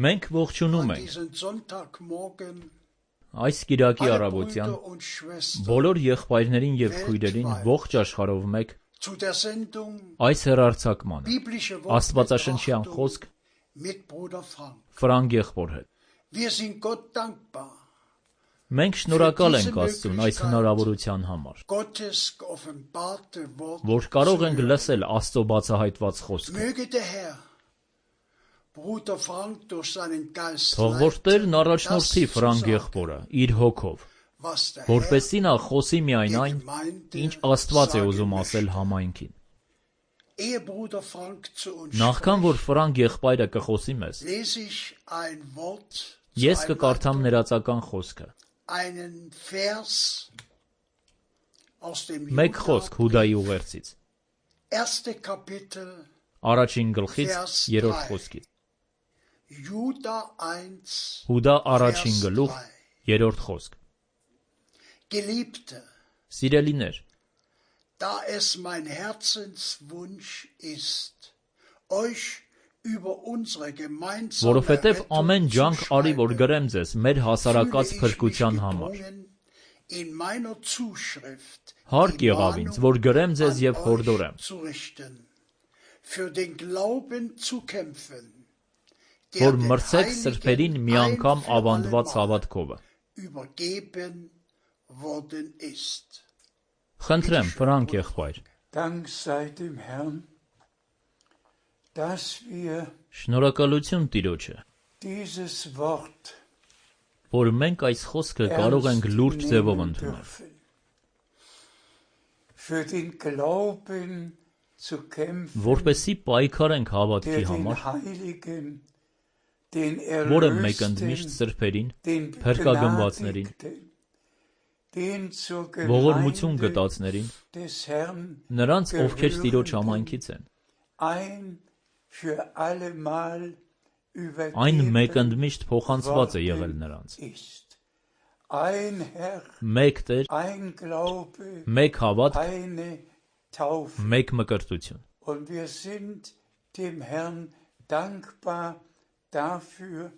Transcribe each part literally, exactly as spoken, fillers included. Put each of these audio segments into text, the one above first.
Մենք ողջունում ենք այս կիրակի առավոտյան բոլոր եղբայրներին և քույրերին ողջ աշխարհով մեկ այս հեռարձակմանը աստվածաշնչյան խոսք Ֆրանկ եղբոր հետ։ Մենք շնորհակալ ենք Աստծուն այս հնարավորության համար, որ կարող ենք լսել Աստծո բացահայտված խոսքը։ Թող որ Տերն առաջնորդի Ֆրանկ եղբորը իր հոգով, որպեսզի նա խոսի միայն այն, ինչ Աստված է ուզում ասել համայնքին։ Նախքան որ Ֆրանկ եղբայրը կխոսի մեզ, ես կկարդամ ներածական խոսքը։ Մեկ խոսք Հուդայի ուղերձից, առաջին գլխից երրորդ խոսքից։ Հուդա առաջին գլուխ երրորդ խոսք։ Սիրելիներ, Da es mein Herzenswunsch ist, euch über unsere gemeinsame որովհետև ամեն ջանք արի, որ գրեմ ձեզ մեր հասարակած փրկության համար։ in meiner Zuschrift Հարկ եղավ ինձ, որ գրեմ ձեզ և հորդորեմ, für den Glauben zu kämpfen, որ մրցեք սրբերին մի անգամ ավանդված հավատքովը։ übergeben worden ist. Խնդրեմ, Ֆրանկ եղբայր, Dank sei dem Herrn, dass wir շնորհակալություն Տիրոջը, dieses Wort որ մենք այս խոսքը կարող ենք լուրջ ձևով ընդունել, für den Glauben zu kämpfen, որպեսզի պայքարենք հավատքի der den համար, Heiligen, den որը մեկընդմիշտ Erlösten, սրբերին, den փրկագնվածներին, Begnadigten, den zur ողորմություն Gemeinde գտածներին, des Herrn նրանց, ովքեր Տիրոջ gehörenden, համայնքից են, ein für allemal այն übergeben մեկընդմիշտ փոխանցված է եղել worden նրանց։ ist. Ein Herr, Մեկ Տեր, ein Glaube, մեկ հավատք, eine Taufe. մեկ մկրտություն։ Und wir sind dem Herrn dankbar dafür,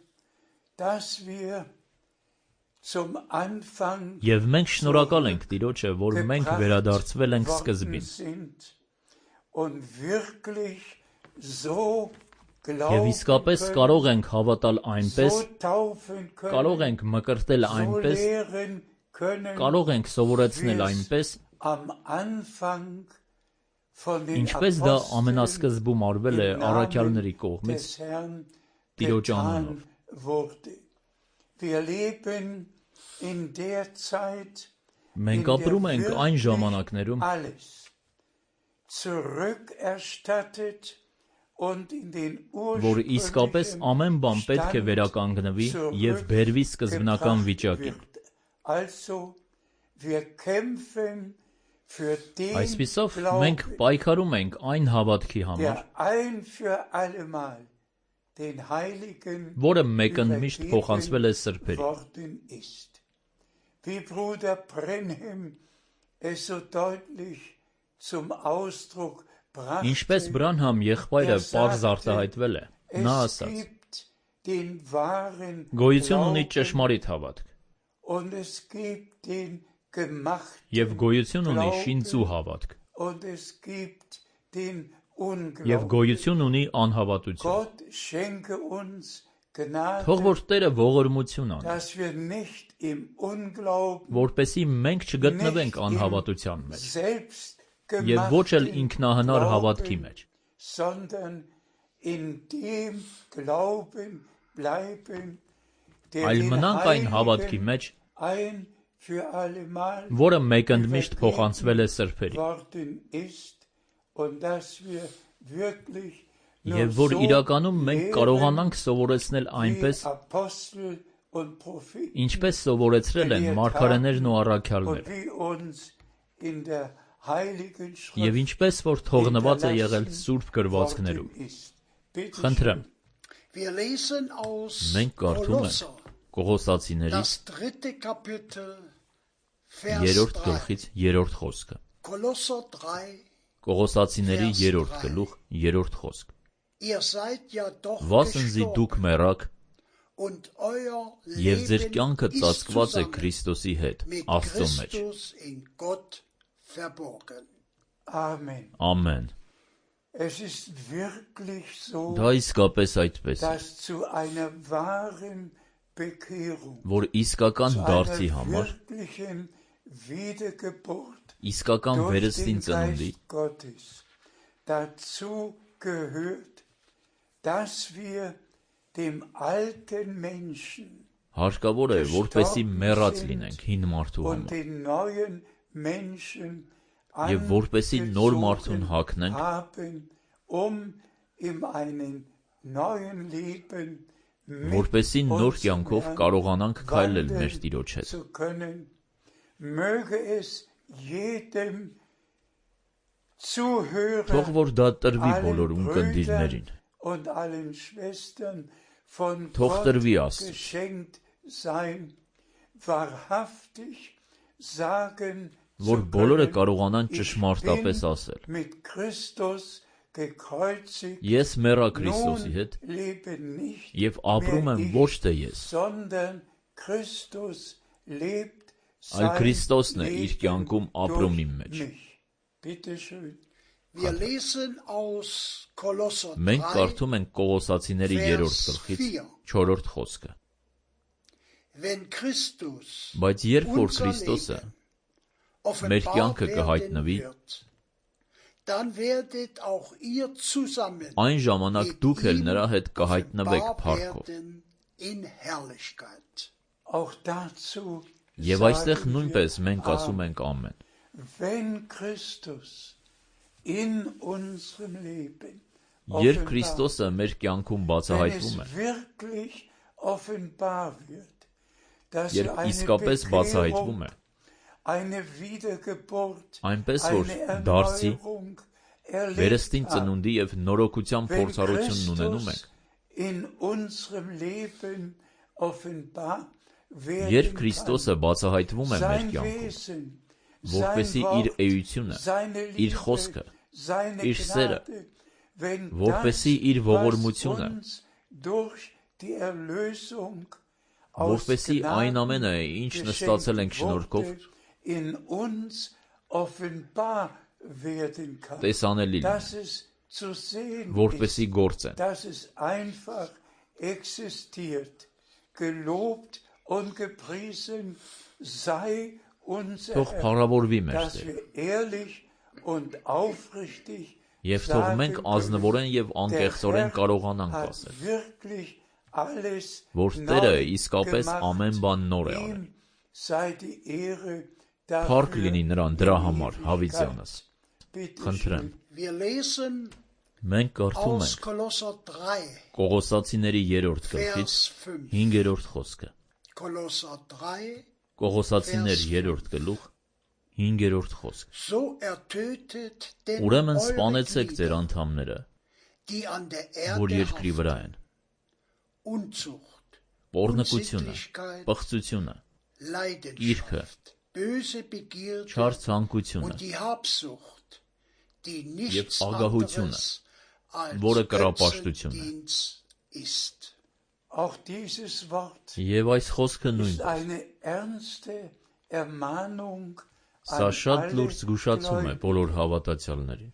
dass wir zum Anfang Եվ մենք շնորհակալ ենք Տիրոջը, որ մենք վերադարձվել ենք սկզբին, sind und wirklich so եւ glauben իսկապես können, կարող ենք հավատալ այնպես, so taufen können, կարող ենք մկրտել so այնպես, lehren können, կարող ենք սովորեցնել wie es այնպես, am Anfang von den ինչպես դա Aposteln ամենասկզբում արվել է im առաքյալների Namen կողմից des Herrn Տիրոջ getan անունով։ wurde. Wir leben in der Zeit, Մենք ապրում ենք այն ժամանակներում, alles zurückerstattet und in den որ իսկապես ursprünglichen ամեն բան պետք է Stand վերականգնվի եւ բերվի սկզբնական zurückgebracht վիճակին։ wird. Also, wir kämpfen für den Այսպիսով մենք Glauben, պայքարում ենք այն հավատքի համար, der ein für allemal den Heiligen որը մեկընդմիշտ übergeben փոխանցվել է սրբերին։ worden ist. Wie Bruder Brenhem es so deutlich zum Ausdruck brachte, Ինչպես Բրանհամ եղբայրը er պարզ sagte, արտահայտվել է, նա es ասաց. gibt den wahren Գոյություն ունի Glauben ճշմարիտ հավատք und es gibt den gemachten եւ գոյություն ունի Glauben շինծու հավատք und es gibt den եւ Unglauben. գոյություն ունի անհավատություն։ Gott schenke uns Gnade, Թող որ Տերը ողորմություն անի, dass wir nicht im Unglauben որպեսզի մենք չգտնվենք nicht im անհավատության մեջ selbstgemachten եւ ոչ էլ ինքնահնար հավատքի Glauben, մեջ, sondern in dem Glauben bleiben, der այլ den մնանք այն հավատքի Heiligen մեջ, ein für allemal որը մեկընդմիշտ փոխանցվել է սրբերին, worden ist und dass wir wirklich nur եւ որ so իրականում մենք lehren, կարողանանք սովորեցնել wie այնպես, Apostel und Propheten ինչպես սովորեցրել են մարգարեներն ու und առաքյալները, wie uns in der Heiligen եւ Schrift ինչպես որ թողնված է եղել Սուրբ գրվածքներում։ worden ist. Bitte Խնդրեմ, Wir lesen aus մենք կարդում ենք Kolosser, Կողոսացիների das dritte Kapitel, Vers երրորդ drei. գլխից երրորդ խոսքը։ Kolosser drei, Կողոսացիների Vers երրորդ drei. գլուխ երրորդ խոսք։ Վասնզի դուք մեռաք, և ձեր կյանքը ծածկված է Քրիստոսի հետ, Աստծո մեջ։ Ամեն։ Դա իսկապես այդպես է, որ իսկական դարձի համար, իսկական վերստին ծնունդի, հարկավոր է, որպեսզի մեռած լինենք հին մարդու համար, և որպեսզի նոր մարդուն հագնենք, որպեսզի նոր կյանքով կարողանանք քայլել մեր Տիրոջ հետ։ Թող որ դա տրվի բոլոր ունկնդիրներին, թող տրվի Աստծուն, որ բոլորը կարողանան ճշմարտապես ասել. ես մեռա Քրիստոսի հետ և ապրում եմ ոչ թե ես, այլ Քրիստոսն է իր կյանքում ապրում իմ մեջ։ Մենք կարդում ենք Կողոսացիների երրորդ գլխից չորրորդ խոսքը. բայց երբ որ Քրիստոսը մեր կյանքը կհայտնվի, այն ժամանակ դուք էլ նրա հետ կհայտնվեք փառքով։ Եվ այստեղ նույնպես մենք ասում ենք ամեն։ Երբ Քրիստոսը մեր կյանքում բացահայտվում է, երբ իսկապես բացահայտվում է, այնպես որ դարձի, վերստին ծնունդի և նորոգության փորձառությունն ունենում ենք, երբ Քրիստոսը բացահայտվում է մեր կյանքում, որպեսզի իր էությունը, իր խոսքը, իր սերը, որպեսզի իր ողորմությունը, որպեսզի այն ամենը, ինչ նստացել ենք շնորհքով, տեսանելի լինի, որպեսզի գործեն։ Թող փառավորվի մեր Տերը, և թող մենք ազնվորեն և անկեղծորեն կարողանանք ասել, որ Տերը իսկապես ամեն բան նոր է արել։ Փառք լինի նրան դրա համար, հավիտյանս։ Խնդրեմ։ Մենք կարդում ենք Կողոսացիների երրորդ գլխից հինգերորդ խոսքը։ Կողոսացիներ երրորդ գլուխ հինգերորդ խոսք։ Ուրեմն սպանեցեք ձեր անդամները, որ երկրի վրա են. պոռնկությունը, պղծությունը, կիրքը, չար ցանկությունը և ագահությունը, որը կռապաշտություն է։ Եվ այս խոսքը նույնպես։ Սա շատ լուրջ զգուշացում է բոլոր հավատացյալներին։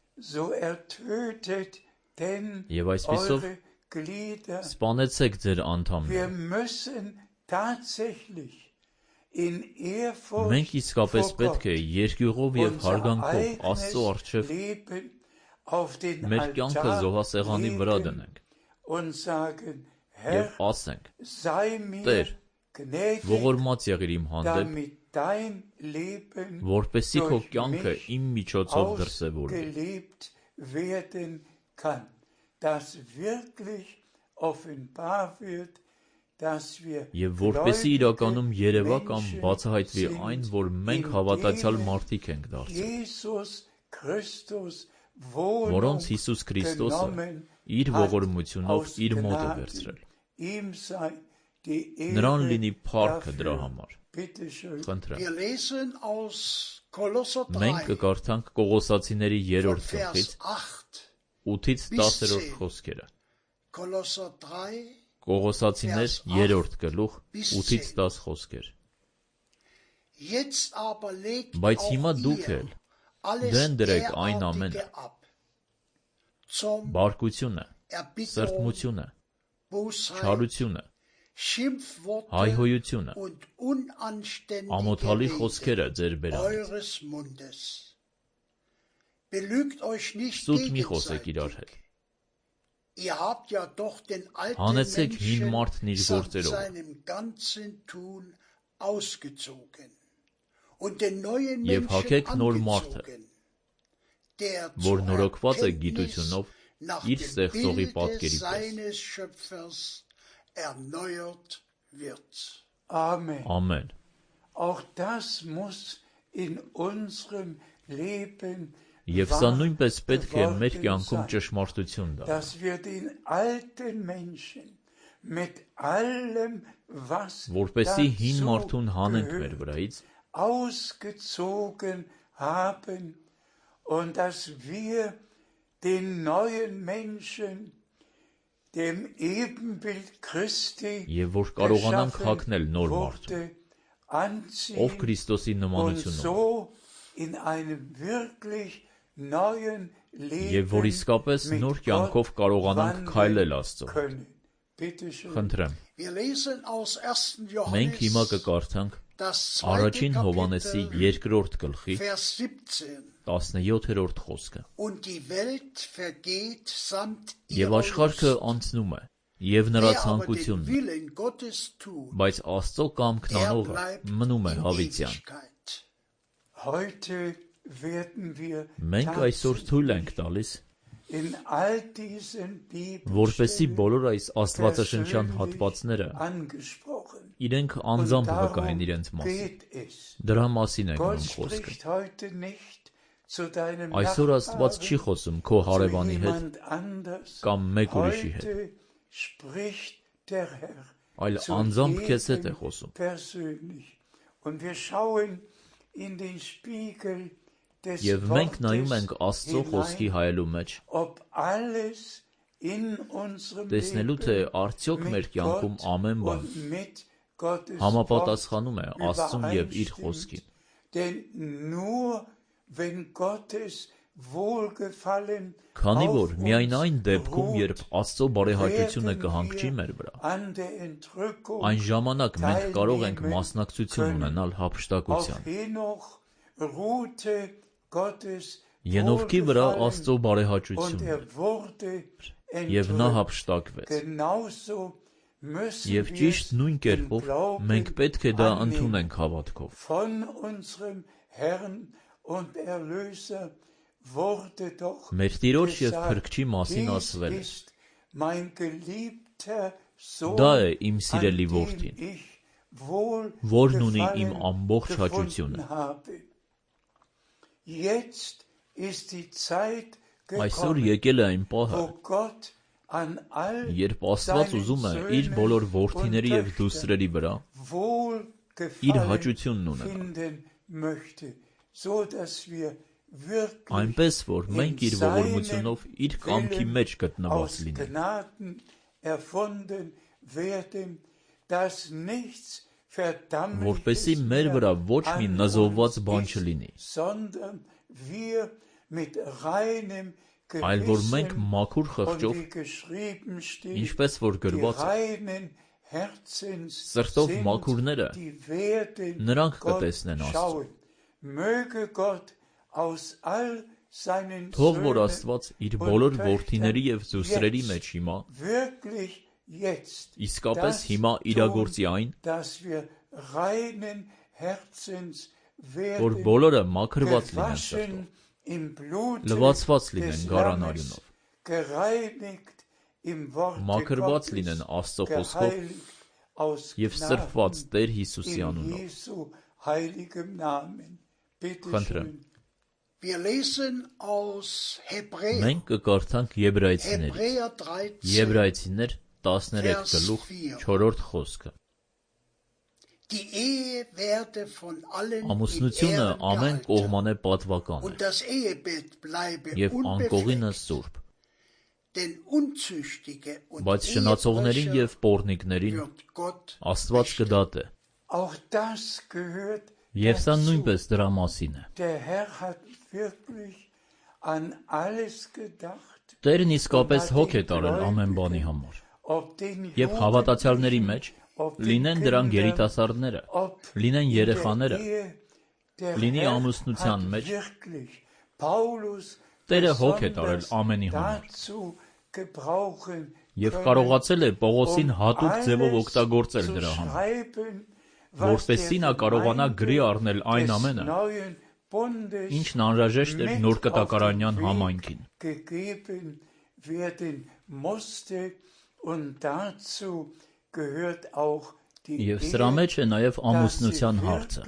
Եվ այսպիսով սպանեցեք ձեր անդամները։ Մենք իսկապես պետք է երկյուղով և հարգանքով Աստծո առջև մեր կյանքը զոհասեղանի վրա դնենք և ասենք. Տեր, ողորմած եղիր իմ հանդեպ, որպեսզի քո կյանքը իմ միջոցով դրսևորվի։ Եվ որպեսզի իրականում երևա կամ բացահայտվի այն, որ մենք հավատացյալ մարդիկ ենք դարձել, որոնց Հիսուս Քրիստոսը իր ողորմությունով իր մոտ է վերցրել։ Նրան լինի փառքը դրա համար։ Խնդրեմ։ Մենք կկարդանք Կողոսացիների երրորդ գլխից ութից տասերորդ խոսքերը։ Կողոսացիներ երրորդ գլուխ ութից տաս խոսքեր։ Բայց հիմա դուք էլ դեն դրեք այն ամենը՝ բարկությունը, սրտմությունը, չարությունը, հայհոյությունը, ամոթալի խոսքերը ձեր բերանից։ Սուտ մի խոսեք իրար հետ։ Հանեցեք հին մարդն իր գործերով և հագեք նոր մարդը, որ նորոգված է գիտությունով իր ստեղծողի պատկերի պես։ Ամեն։ Եվ սա նույնպես պետք է մեր կյանքում ճշմարտություն դառնա, որպեսզի հին մարդուն հանենք մեր վրայից և որ կարողանանք հագնել նոր մարդուն, ով Քրիստոսի նմանությունով է, և որ իսկապես նոր կյանքով կարողանանք քայլել Աստծո հետ։ Խնդրեմ, մենք հիմա կկարդանք Առաջին Հովհաննեսի երկրորդ գլխի տասնյոթերորդ խոսքը։ Եվ աշխարհը անցնում է, և նրա ցանկությունն է, բայց Աստծո կամքն անողը մնում է հավիտյան։ Մենք այսօր թույլ ենք տալիս, որպեսզի բոլոր այս աստվածաշնչյան հատվածները իրենք անձամբ վկային իրենց մասին։ Դրա մասին է գնում խոսքը։ Այսօր Աստված չի խոսում քո հարևանի հետ կամ մեկ ուրիշի հետ, այլ անձամբ քեզ հետ է խոսում։ Եվ մենք նայում ենք Աստծո խոսքի հայելու մեջ, տեսնելու թե արդյոք մեր կյանքում ամեն բան համապատասխանում է Աստծուն և իր խոսքին։ Քանի որ միայն այն դեպքում, երբ Աստծո բարեհաճությունը կհանգչի մեր վրա, այն ժամանակ մենք կարող ենք մասնակցություն ունենալ հափշտակության։ Ենովքի վրա Աստծո բարեհաճությունն էր, և նա հափշտակվեց։ Եվ ճիշտ նույն կերպով մենք պետք է դա ընդունենք հավատքով։ Մեր Տիրոջ և Փրկչի մասին ասվել է. «Դա է իմ սիրելի որդին, որն ունի իմ ամբողջ հաճությունը»։ Այսօր եկել է այն պահը, երբ Աստված ուզում է իր բոլոր որդիների և դուստրերի վրա իր հաճությունն ունենալ, այնպես, որ մենք իր ողորմությունով իր կամքի մեջ գտնված լինենք, որպեսզի մեր վրա ոչ մի նզովված բան չլինի, այլ որ մենք մաքուր խղճով, ինչպես որ գրված է, սրտով մաքուրները նրանք կտեսնեն Աստծուն։ Թող որ Աստված իր բոլոր որդիների և դուստրերի մեջ հիմա, իսկապես հիմա իրագործի այն, որ բոլորը մաքրված լինեն սրտով, լվացված լինեն գառան արյունով, մաքրված լինեն Աստծո խոսքով և սրբված Տեր Հիսուսի անունով։ Խնդրեմ, մենք կկարդանք Եբրայեցիներից, Եբրայեցիներ տասներեք գլուխ չորրորդ խոսքը։ Ամուսնությունը ամեն կողմանե պատվական է, և անկողինը սուրբ։ Բայց շնացողներին և պոռնիկներին Աստված կդատե։ Եվ սա նույնպես դրա մասին է։ Տերն իսկապես հոգ է տարել ամեն բանի համար։ Եվ հավատացյալների մեջ, լինեն դրանք երիտասարդները, լինեն երեխաները, լինի ամուսնության մեջ, Տերը հոգ է տարել ամենի համար։ Եվ կարողացել է Պողոսին հատուկ ձևով օգտագործել դրա համար, որպեսզի նա կարողանա գրի առնել այն ամենը, ինչն անհրաժեշտ էր նոր կտակարանյան համայնքին։ Եվ սրա մեջ է նաև ամուսնության հարցը,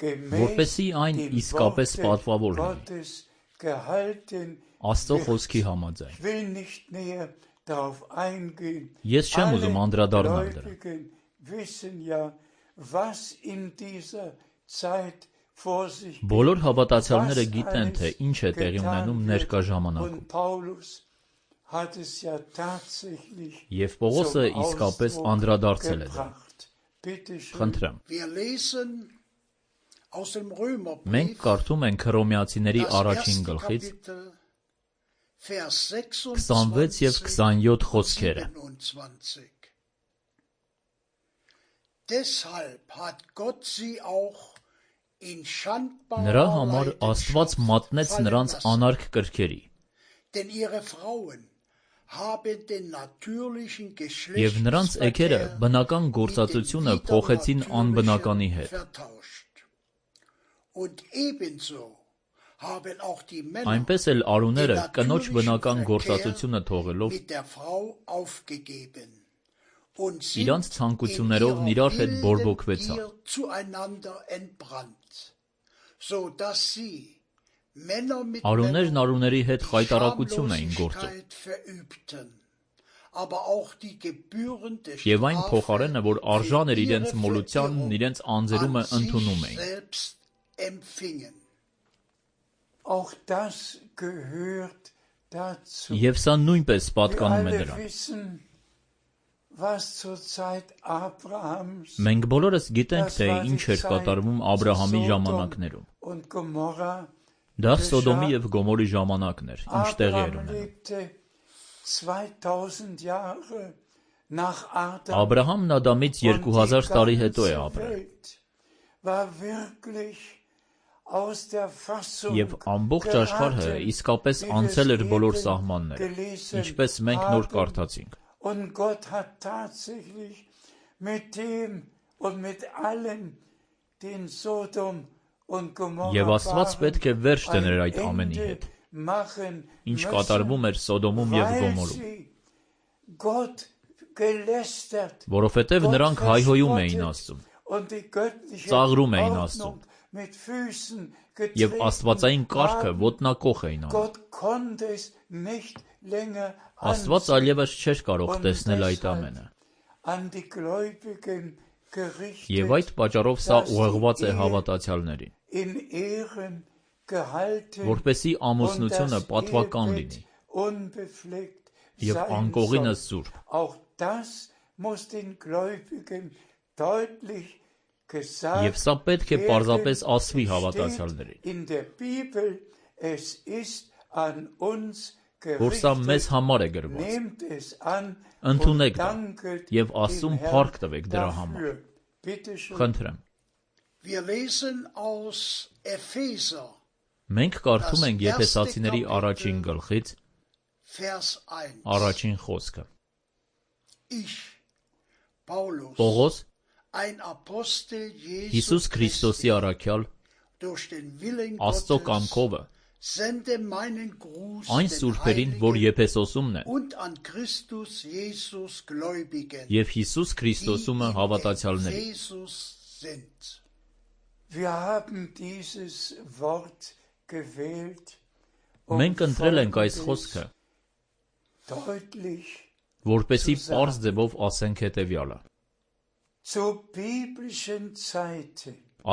որպեսզի այն իսկապես պատվավոր լինի, Աստծո խոսքի համաձայն։ Ես չեմ ուզում անդրադառնալ դրան։ Բոլոր հավատացյալները գիտեն, թե ինչ է տեղի ունենում ներկա ժամանակում։ Եվ Պողոսը իսկապես անդրադարձել է դրան։ Խնդրեմ։ Մենք կարդում ենք Հռոմեացիների առաջին գլխից քսանվեց և քսանյոթ խոսքերը։ Նրա համար Աստված մատնեց նրանց անարգ կրքերի, և նրանց էգերը բնական գործածությունը փոխեցին անբնականի հետ։ Այնպես էլ արուները կնոջ բնական գործածությունը թողելով, իրանց ցանկություններով իրար հետ բորբոքվեցան։ Արուներն արուների հետ խայտառակություն էին գործում, և այն փոխարենը, որ արժան էր իրենց մոլությանն, իրենց անձերումը ընդունում էին։ Եվ սա նույնպես պատկանում է դրան։ Մենք բոլորս գիտենք, թե ինչ էր կատարվում Աբրահամի ժամանակներում։ Դա Սոդոմի և Գոմորի ժամանակն էր, ինչ տեղի էր ունենում։ Աբրահամն Ադամից երկու հազար տարի հետո է ապրել։ Եվ ամբողջ աշխարհը իսկապես անցել էր բոլոր սահմանները, ինչպես մենք նոր կարդացինք։ Եվ Աստված պետք է վերջ դներ այդ ամենի հետ, ինչ կատարվում էր Սոդոմում և Գոմորում, որովհետև նրանք հայհոյում էին Աստծուն, ծաղրում էին Աստծուն, և աստվածային կարգը ոտնակոխ էին անում։ Աստված այլևս չէր կարող տեսնել այդ ամենը։ Եվ այդ պատճառով սա ուղղված է հավատացյալներին, որպեսզի ամուսնությունը պատվական լինի, և անկողինը սուրբ։ Եվ սա պետք է պարզապես ասվի հավատացյալներին, որ սա մեզ համար է գրված։ Ընդունեք դա և Աստծուն փառք տվեք դրա համար։ Խնդրեմ։ Մենք կարդում ենք Եփեսացիների առաջին գլխից առաջին խոսքը։ Պողոս, Հիսուս Քրիստոսի առաքյալ, Աստծո կամքովը, այն սուրբերին, որ Եփեսոսումն են, և Հիսուս Քրիստոսումը հավատացյալներին։ Մենք ընտրել ենք այս խոսքը, որպեսզի պարզ ձևով ասենք հետևյալը.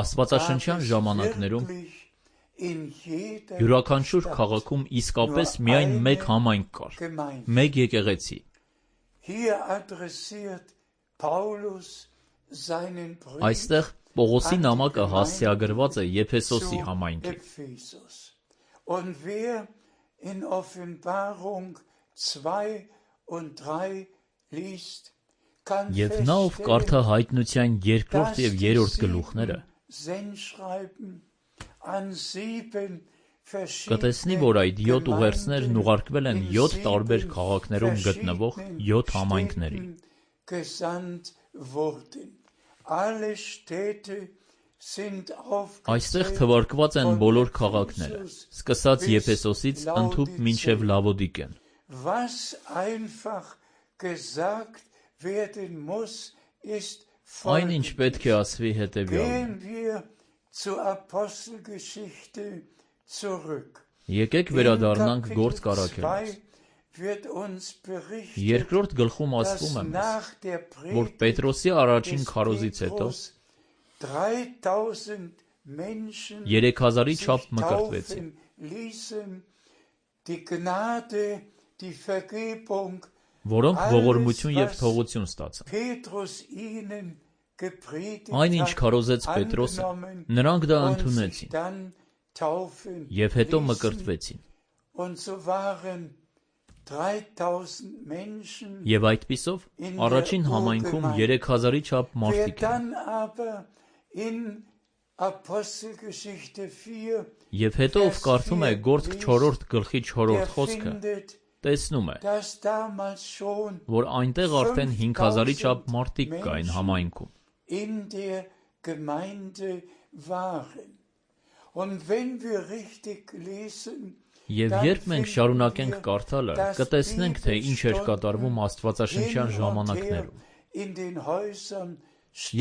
Աստվածաշնչյան ժամանակներում Յուրաքանչյուր քաղաքում իսկապես միայն մեկ համայնք կար, մեկ եկեղեցի։ Այստեղ Պողոսի նամակը հասցեագրված է Եփեսոսի համայնքին։ Եվ նա, ով կարդա Հայտնության երկրորդ և երրորդ գլուխները, կտեսնի, որ այդ յոթ ուղերձներն ուղարկվել են յոթ տարբեր քաղաքներում գտնվող յոթ համայնքներին։ Այստեղ թվարկված են բոլոր քաղաքները, սկսած Եփեսոսից ընդհուպ մինչև Լավոդիկեն։ Այն, ինչ պետք է ասվի, հետևյալն է։ Եկեք վերադառնանք Գործք առաքելոց։ Երկրորդ գլխում ասվում է մեզ, որ Պետրոսի առաջին քարոզից հետո երեք հազարի չափ մկրտվեցին, որոնք ողորմություն և թողություն ստացան։ Այն, ինչ քարոզեց Պետրոսը, նրանք դա ընդունեցին և հետո մկրտվեցին։ Եվ այդպիսով առաջին համայնքում երեք հազարի չափ մարդիկ են։ Եվ հետո, ով կարդում է Գործք չորրորդ գլխի չորրորդ խոսքը, տեսնում է, որ այնտեղ արդեն հինգ հազարի չափ մարդիկ կային համայնքում։ Եվ երբ մենք շարունակենք կարդալը, կտեսնենք, թե ինչ էր կատարվում աստվածաշնչյան ժամանակներում,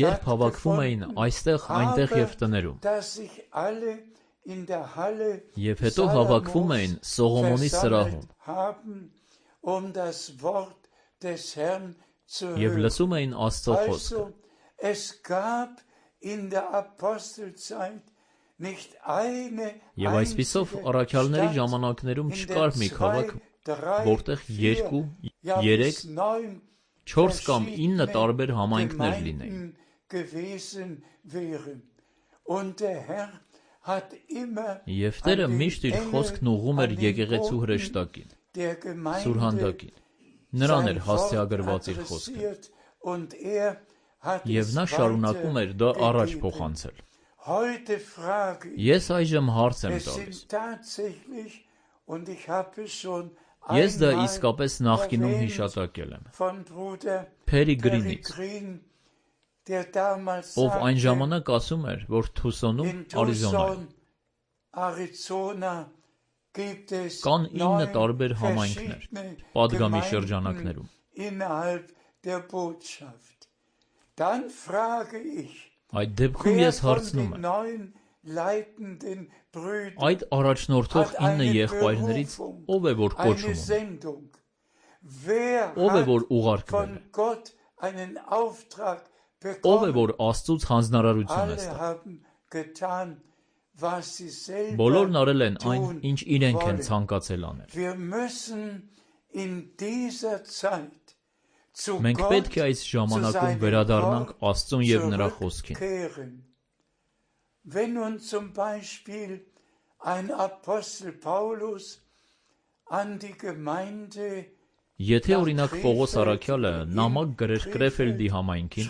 երբ հավաքվում էին այստեղ, այնտեղ և տներում, և հետո հավաքվում էին Սողոմոնի սրահում և լսում էին Աստծո խոսքը։ Եվ այսպիսով առաքյալների ժամանակներում չկար մի քաղաք, որտեղ երկու, երեք, չորս կամ ինը տարբեր համայնքներ լինեին։ Եվ Տերը միշտ իր խոսքն ուղղում էր եկեղեցու հրեշտակին, սուրհանդակին, նրան էր հասցեագրված իր խոսքը, և նա շարունակում էր դա առաջ փոխանցել։ Ես այժմ հարց եմ տալիս. ես դա իսկապես նախկինում հիշատակել եմ Փերիգրինից, ով այն ժամանակ ասում էր, որ Թուսոնում, Արիզոնայում կան ինը տարբեր համայնքներ պատգամի շրջանակներում։ Այդ դեպքում ես հարցնում եմ. այդ առաջնորդող ինը եղբայրներից ով է, որ կոչում ունի, ով է, որ ուղարկվել է, ով է, որ Աստծուց հանձնարարություն է ստացել։ Բոլորն արել են այն, ինչ իրենք են ցանկացել անել։ Մենք պետք է այս ժամանակում վերադառնանք Աստծուն և նրա խոսքին։ Եթե օրինակ Պողոս առաքյալը նամակ գրեր Կրեֆելդի համայնքին,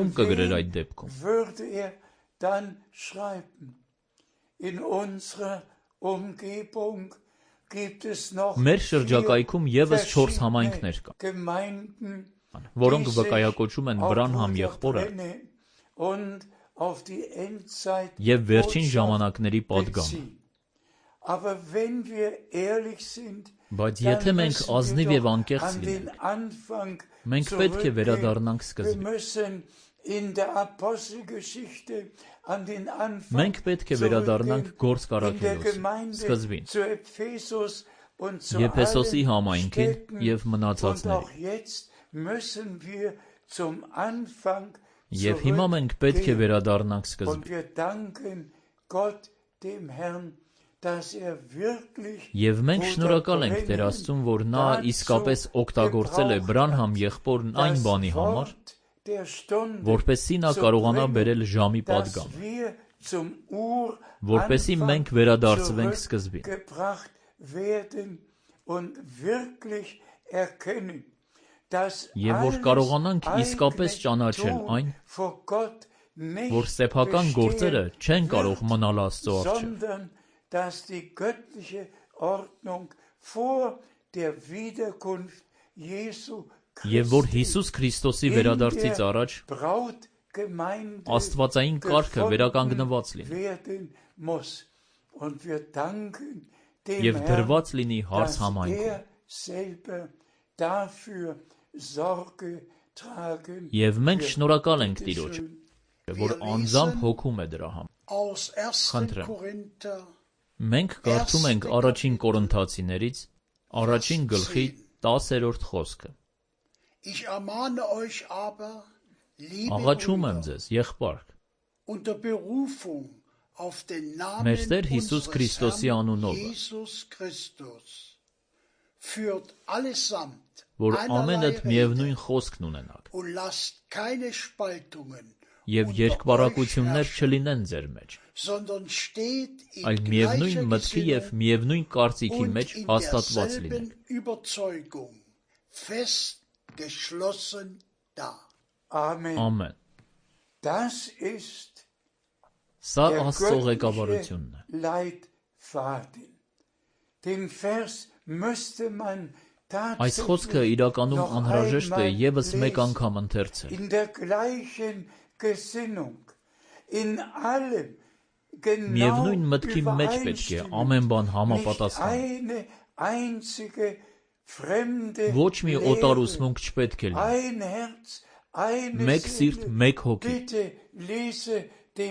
ում կգրեր այդ դեպքում։ Մեր շրջակայքում ևս չորս համայնքներ կան, որոնք վկայակոչում են Բրանհամ եղբորը և վերջին ժամանակների պատգամը։ Բայց եթե մենք ազնիվ և անկեղծ լինենք, մենք պետք է վերադառնանք սկզբին։ Մենք պետք է վերադառնանք Գործք առաքելոց սկզբին, Եփեսոսի համայնքին և մնացածներին։ Եվ հիմա մենք պետք է վերադառնանք սկզբին։ Եվ մենք շնորհակալ ենք Տեր Աստծուն, որ նա իսկապես օգտագործել է Բրանհամ եղբորն այն բանի համար, որպեսզի նա կարողանա բերել ժամի պատգամը, որպեսզի մենք վերադարձվենք սկզբին, և որ կարողանանք իսկապես ճանաչել այն, որ սեփական գործերը չեն կարող մնալ Աստծո առջև, և որ Հիսուս Քրիստոսի վերադարձից առաջ աստվածային կարգը վերականգնված լինի և դրված լինի հարս համայնքում։ Եվ մենք շնորհակալ ենք Տիրոջը, որ անձամբ հոգում է դրա համար։ Խնդրեմ, մենք կարդում ենք առաջին Կորինթացիներից առաջին գլխի տասերորդ խոսքը։ Աղաչում եմ ձեզ, եղբայրք, մեր Տեր Հիսուս Քրիստոսի անունով, որ ամենդ միևնույն խոսքն ունենաք, և երկպառակություններ չլինեն ձեր մեջ, այլ միևնույն մտքի և միևնույն կարծիքի մեջ հաստատված լինեք։ Ամեն։ Սա Աստծո ղեկավարությունն է։ Այս խոսքը իրականում անհրաժեշտ է ևս մեկ անգամ ընթերցել։ Միևնույն մտքի մեջ պետք է ամեն բան համապատասխանի։ Ոչ մի օտար ուսմունք չպետք է լինի։ Մեկ սիրտ, մեկ հոգի։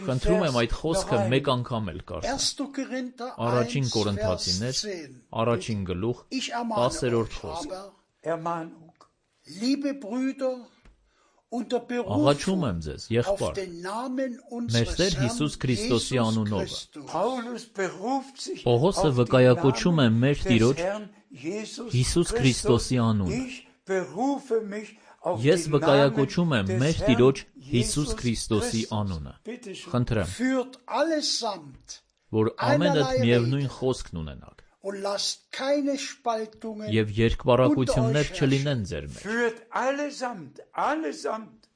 Խնդրում եմ այդ խոսքը մեկ անգամ էլ կարդալ։ Առաջին Կորինթացիներ, առաջին գլուխ, տասերորդ խոսք։ Աղաչում եմ ձեզ, եղբայր, մեր Տեր Հիսուս Քրիստոսի անունով։ Պողոսը վկայակոչում է մեր Տիրոջ Հիսուս Քրիստոսի անունը։ Ես վկայակոչում եմ մեր Տիրոջ Հիսուս Քրիստոսի անունը։ Խնդրեմ, որ ամենդ միևնույն խոսքն ունենաք և երկպառակություններ չլինեն ձեր մեջ։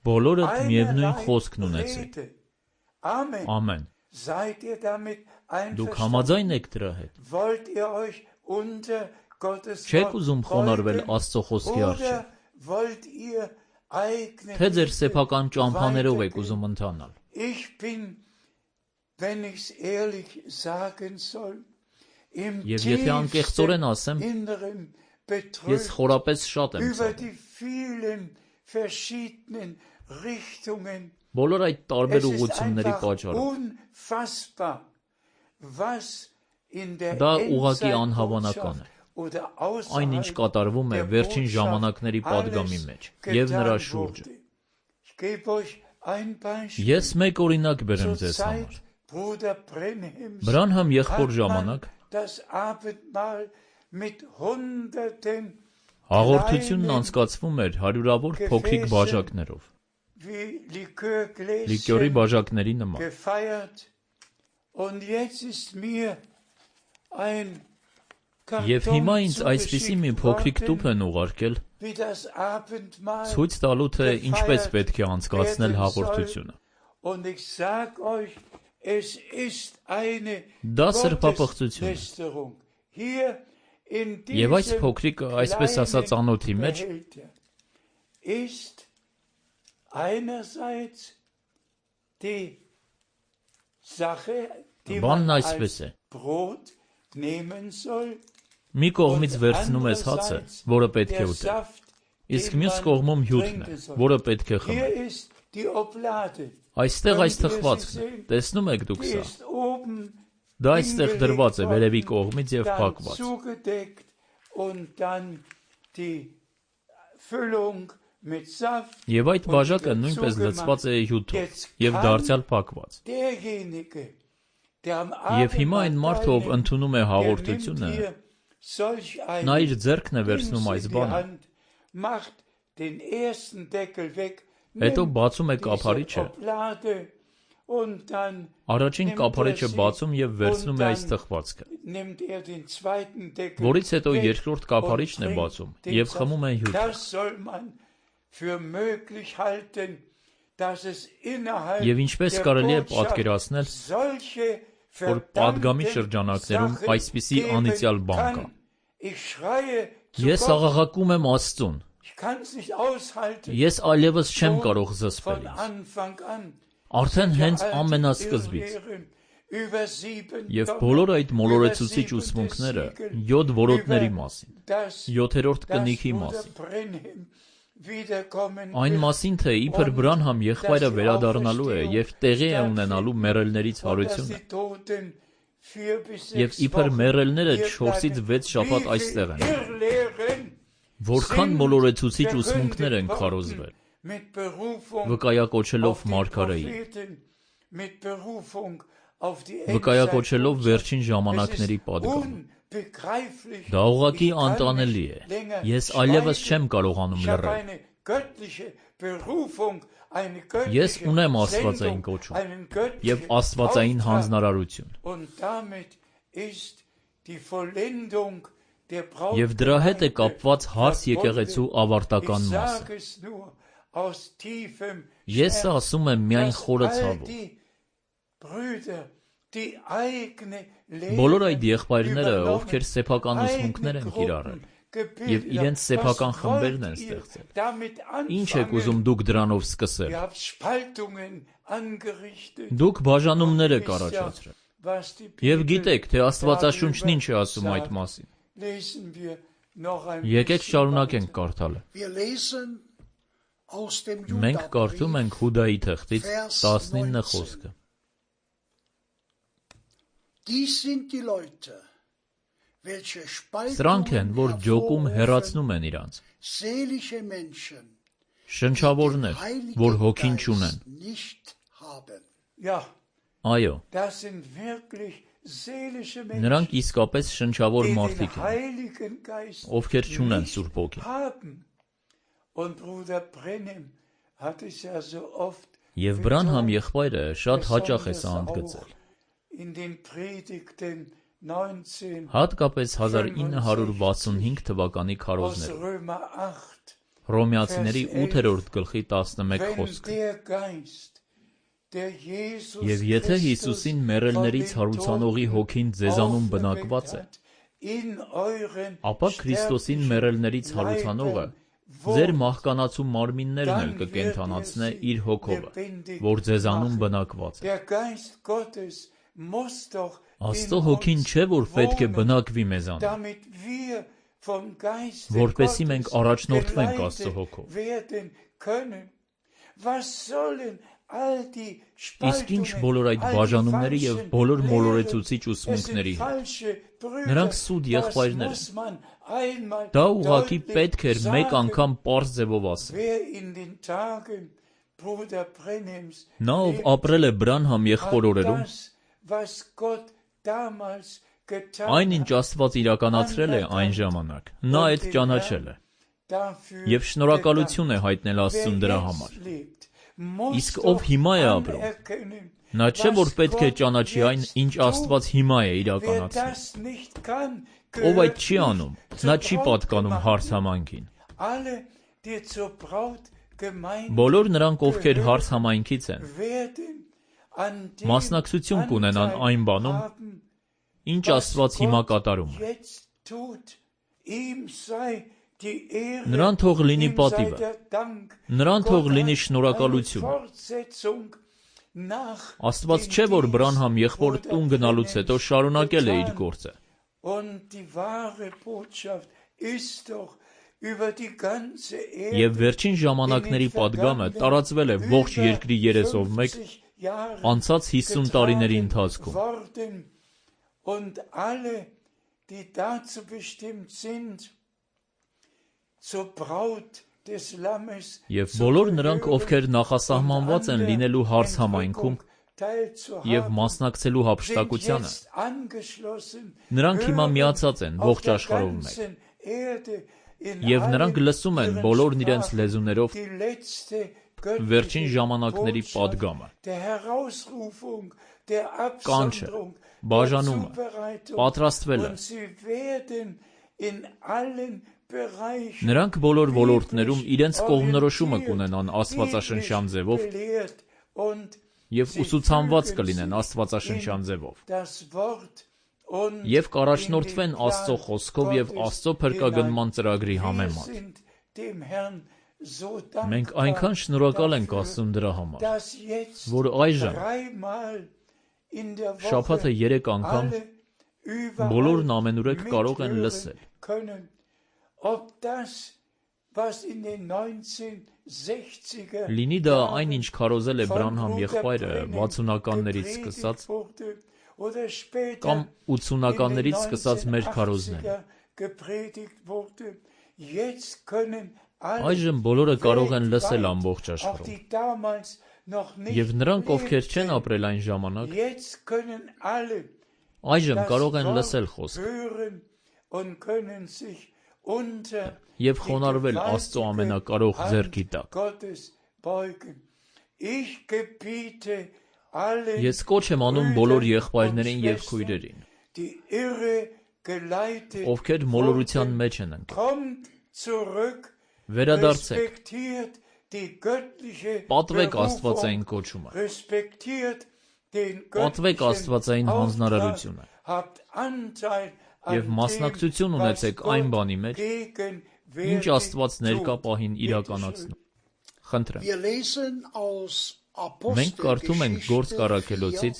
Բոլորդ միևնույն խոսքն ունեցեք։ Ամեն։ Դուք համաձայն եք դրա հետ։ Չեք ուզում խոնարհվել Աստծո խոսքի առջև։ Թե ձեր սեփական ճամփաներով եք ուզում ընթանալ։ Եվ եթե անկեղծորեն ասեմ, ես խորապես շատ եմ ցավում։ Բոլոր այդ տարբեր ուղղությունների պատճառով։ Դա ուղղակի անհավանական է։ Այն, ինչ կատարվում է վերջին ժամանակների պատգամի մեջ և նրա շուրջը։ Ես մեկ օրինակ բերեմ ձեզ համար։ Բրանհամ եղբոր ժամանակ հաղորդությունն անցկացվում էր հարյուրավոր փոքրիկ բաժակներով, լիկյորի բաժակների նման։ Եվ հիմա ինձ այսպիսի մի փոքրիկ տուփ են ուղարկել, ցույց տալու, թե ինչպես պետք է անցկացնել հաղորդությունը։ Դա սրբապղծություն է։ Եվ այս փոքրիկ, այսպես ասած, անոթի մեջ բանն այսպես է. մի կողմից վերցնում ես հացը, որը պետք է ուտել, իսկ մյուս կողմում հյութն է, որը պետք է խմել։ Այստեղ այս թխվածքն է, տեսնում եք դուք սա։ Դա այստեղ դրված է վերևի կողմից և փակված։ Եվ այդ բաժակը նույնպես լցված է հյութով և դարձյալ փակված։ Եվ հիմա այն մարդը, ով ընդունում է հաղորդությունը, նա իր ձեռքն է վերցնում այս բանը, հետո բացում է կափարիչը, առաջին կափարիչը բացում և վերցնում է այս թխվածքը, որից հետո երկրորդ կափարիչն է բացում և խմում է հյութը։ Եվ ինչպես կարելի է պատկերացնել, որ պատգամի շրջանակներում այսպիսի անիծյալ բան կա։ Ես աղաղակում եմ Աստծուն, ես այլևս չեմ կարող զսպել ինձ, արդեն հենց ամենասկզբից։ Եվ բոլոր այդ մոլորեցուցիչ ուսմունքները յոթ որոտների մասին, յոթերորդ կնիքի մասին, այն մասին, թե իբր Բրանհամ եղբայրը վերադառնալու է և տեղի է ունենալու մեռելներից հարությունը, և իբր մեռելները չորսից վեց շաբաթ այստեղ են, որքան մոլորեցուցիչ ուսմունքներ են քարոզվել, վկայակոչելով մարգարեին, վկայակոչելով վերջին ժամանակների պատգամը։ Դա ուղղակի անտանելի է, ես այլևս չեմ կարողանում լռել։ Ես ունեմ աստվածային կոչում և աստվածային հանձնարարություն, և դրա հետ է կապված հարս եկեղեցու ավարտական մասը։ Ես սա ասում եմ միայն խորը ցավով։ Բոլոր այդ եղբայրները, ովքեր սեփական ուսմունքներ են կիրառել և իրենց սեփական խմբերն են ստեղծել, ինչ եք ուզում դուք դրանով սկսել։ Դուք բաժանումներ եք առաջացրել։ Եվ գիտեք, թե Աստվածաշունչն ինչ է ասում այդ մասին։ Եկեք շարունակենք կարդալը։ Մենք կարդում ենք Հուդայի թղթից տասնինը խոսքը։ Սրանք են, որ ջոկում հեռացնում են իրանց, շնչավորներ, որ հոգին չունեն։ Այո, նրանք իսկապես շնչավոր մարդիկ են, ովքեր չունեն Սուրբ Հոգին։ Եվ Բրանհամ եղբայրը շատ հաճախ է սա ընդգծել։ Հատկապես հազար ինը հարյուր վաթսունհինգ թվականի քարոզներում, Հռոմեացիների ութերորդ գլխի տասնմեկ խոսքը։ Եվ եթե Հիսուսին մեռելներից հարուցանողի հոգին ձեզանում բնակված է, ապա Քրիստոսին մեռելներից հարուցանողը ձեր մահկանացու մարմիններն էլ կկենդանացնե իր հոգովը, որ ձեզանում բնակված է։ Աստծո հոգին չէ, որ պետք է բնակվի մեզանում, որպեսզի մենք առաջնորդվենք Աստծո հոգով։ Իսկ ինչ բոլոր այդ բաժանումների և բոլոր մոլորեցուցիչ ուսմունքների հետ։ Նրանք սուտ եղբայրներ են։ Դա ուղղակի պետք էր մեկ անգամ պարզ ձևով ասել։ Նա, ով ապրել է Բրանհամ եղբոր օրերում, այն, ինչ Աստված իրականացրել է այն ժամանակ, նա այդ ճանաչել է և շնորհակալություն է հայտնել Աստծուն դրա համար։ Իսկ ով հիմա է ապրում, նա չէ, որ պետք է ճանաչի այն, ինչ Աստված հիմա է իրականացնում։ Ով այդ չի անում, նա չի պատկանում հարս համայնքին։ Բոլոր նրանք, ովքեր հարս համայնքից են, մասնակցություն կունենան այն բանում, ինչ Աստված հիմա կատարում է։ Նրան թող լինի պատիվը, նրան թող լինի շնորհակալությունը։ Աստված չէ, որ Բրանհամ եղբոր տուն գնալուց հետո շարունակել է իր գործը։ Եվ վերջին ժամանակների պատգամը տարածվել է ողջ երկրի երեսով մեկ անցած հիսուն տարիների ընթացքում։ Եվ բոլոր նրանք, ովքեր նախասահմանված են լինելու հարս համայնքում, և մասնակցելու հափշտակությանը, նրանք հիմա միացած են ողջ աշխարհով մեկ, և նրանք լսում են բոլորն իրենց լեզուներով վերջին ժամանակների պատգամը, կանչը, բաժանումը, պատրաստվելը։ Նրանք բոլոր ոլորտներում իրենց կողմնորոշումը կունենան աստվածաշնչյան ձևով և ուսուցանված կլինեն աստվածաշնչյան ձևով և կառաջնորդվեն Աստծո խոսքով և Աստծո փրկագնման ծրագրի համեմատ։ Մենք այնքան շնորհակալ ենք Աստծուն դրա համար, որ այժմ շաբաթը երեք անգամ բոլորն ամենուրեք կարող են լսել լինի դա այն, ինչ քարոզել է Բրանհամ եղբայրը վաթսունականներից սկսած կամ ութսունականներից սկսած մեր քարոզները։ Այժմ բոլորը կարող են լսել ամբողջ աշխարհում, և նրանք, ովքեր չեն ապրել այն ժամանակ, այժմ կարող են լսել խոսքը և խոնարհվել Աստծո ամենակարող ձեռքի տակ։ Ես կոչ եմ անում բոլոր եղբայրներին և քույրերին, ովքեր մոլորության մեջ են ընկել, վերադարձեք, պատվեք աստվածային կոչումը, պատվեք աստվածային հանձնարարությունը և մասնակցություն ունեցեք այն բանի մեջ, ինչ Աստված ներկա պահին իրականացնում։ Խնդրեմ։ Մենք կարդում ենք Գործք առաքելոցից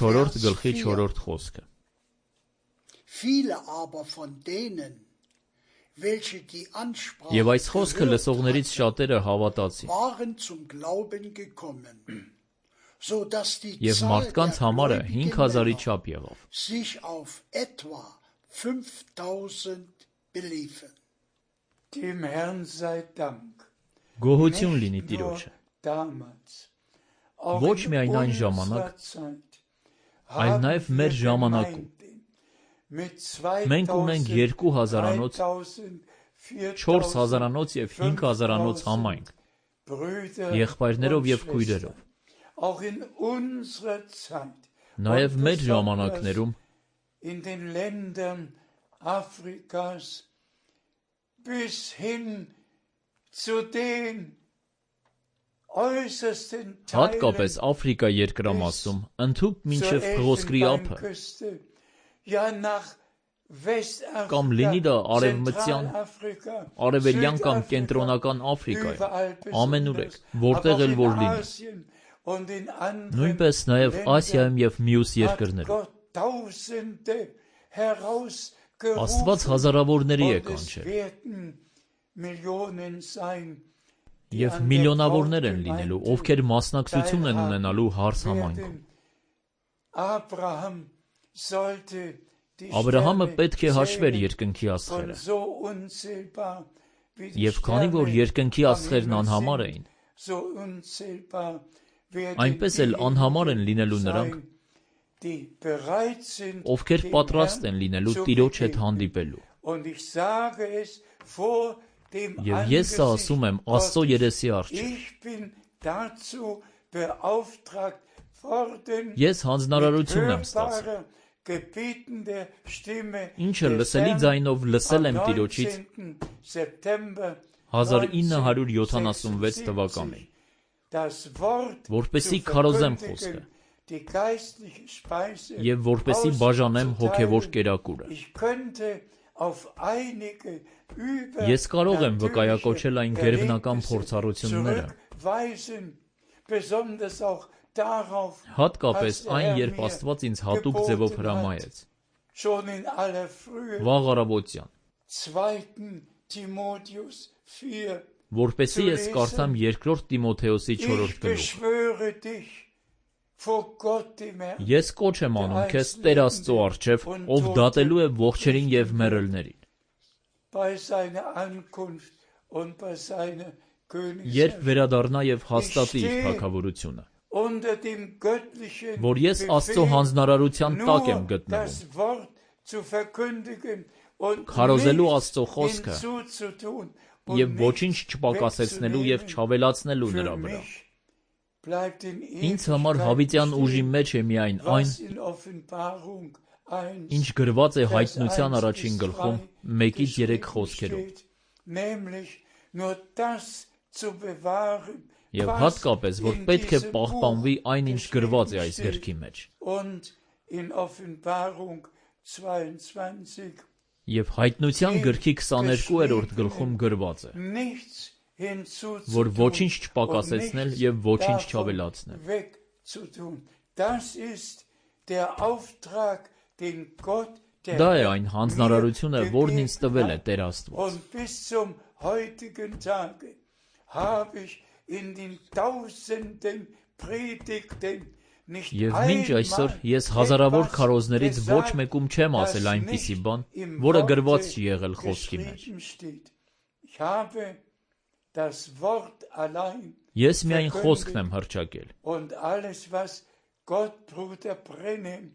չորրորդ գլխի չորրորդ խոսքը։ Եվ այս խոսքը լսողներից շատերը հավատացին, և մարդկանց համարը հինգ հազարի չափ եղավ։ Գոհություն լինի Տիրոջը։ Ոչ միայն այն ժամանակ, այլ նաև մեր ժամանակում մենք ունենք երկու հազարանոց, չորս հազարանոց և հինգ հազարանոց համայնք, եղբայրներով և քույրերով։ Նաև մեր ժամանակներում հատկապես Աֆրիկա երկրամասում, ընդհուպ մինչև Փղոսկրի ափը, կամ լինի դա արևմտյան, արևելյան կամ կենտրոնական Աֆրիկայում, ամենուրեք, որտեղ էլ որ լինի, նույնպես նաև Ասիայում և մյուս երկրներում, Աստված հազարավորների է կանչել և միլիոնավորներ են լինելու, ովքեր մասնակցություն են ունենալու հարս համայնքում։ Աբրահամը պետք է հաշվեր երկնքի աստղերը, և քանի որ երկնքի աստղերն անհամար էին, այնպես էլ անհամար են լինելու նրանք, ովքեր պատրաստ են լինելու Տիրոջ հետ հանդիպելու։ Եվ ես սա ասում եմ Աստծո երեսի առջև։ Ես հանձնարարություն եմ ստացել, ինչը լսելի ձայնով լսել եմ Տիրոջից հազար ինը հարյուր յոթանասունվեց թվականին, որպեսզի քարոզեմ խոսքը և որպեսզի բաժանեմ հոգևոր կերակուրը։ Ես կարող եմ վկայակոչել այն գերբնական փորձառությունները, հատկապես այն, երբ Աստված ինձ հատուկ ձևով հրամայեց վաղ առավոտյան, որպեսզի ես կարդամ երկրորդ Տիմոթեոսի չորրորդ գլուխը։ Ես կոչ եմ անում քեզ Տեր Աստծո առջև, ով դատելու է ողջերին և մեռելներին, երբ վերադառնա և հաստատի իր թագավորությունը։ unter dem göttlichen որ ես Աստծո Befehl հանձնարարության տակ եմ nur գտնվում, das Wort zu verkündigen und քարոզելու nichts Աստծո խոսքը hinzuzutun եւ und ոչինչ nichts չպակասեցնելու եւ wegzunehmen. չավելացնելու Für նրա վրա։ mich bleibt in Ինձ համար հավիտյան ուժի Ewigkeit մեջ է միայն stehen, այն, was in Offenbarung ինչ eins գրված է Vers հայտնության eins առաջին bis գլխում drei մեկից երեք geschrieben խոսքերով, steht, nämlich nur das zu bewahren, եւ was հատկապես, որ in պետք է diesem պահպանվի Buch այն, ինչ գրված է geschrieben այս steht. գրքի մեջ։ Und in Offenbarung zweiundzwanzig Եվ հայտնության գրքի քսաներկու-րդ գլխում գրված է, nichts hinzuzutun որ ոչինչ und չպակասեցնել nichts եւ ոչինչ davon չավելացնել։ wegzutun. Das ist der Auftrag, den Gott der Դա է Herr այն հանձնարարությունը, mir որն ինձ տվել է gegeben Տեր hat. Աստված։ Und bis zum heutigen Tage habe ich in den tausenden Predigten nicht Եվ մինչ այսօր einmal ես հազարավոր etwas քարոզներից ոչ gesagt, մեկում չեմ das ասել այնպիսի nicht բան, im որը Worte գրված չի եղել խոսքի մեջ։ geschrieben steht. Ich habe das Wort allein Ես միայն խոսքն եմ հռչակել։ und alles, was Gott, Bruder Brenhem,